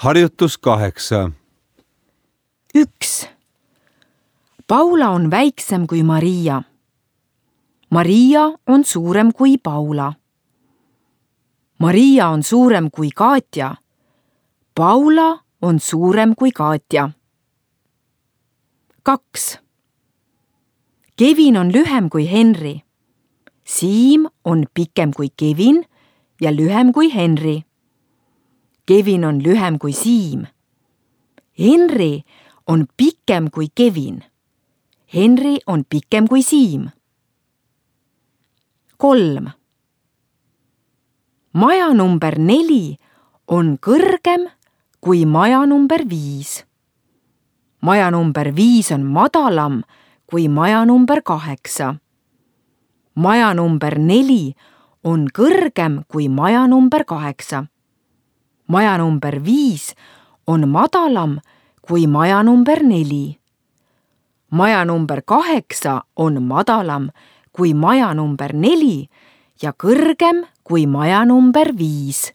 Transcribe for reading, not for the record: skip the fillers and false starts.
Harjutus 8. 1. Paula on väiksem kui Maria. Maria on suurem kui Paula. Maria on suurem kui Katja. Paula on suurem kui Katja. 2. Kevin on lühem kui Henry. Siim on pikem kui Kevin ja lühem kui Henry. Kevin on lühem kui Siim. Henry on pikem kui Kevin. Henry on pikem kui Siim. 3. Maja number 4 on kõrgem kui maja number 5. Maja number 5 on madalam kui maja number 8. Maja number 4 on kõrgem kui maja number 8. Maja number 5 on madalam kui maja number 4. Maja number 8 on madalam kui maja number 4 ja kõrgem kui maja number 5.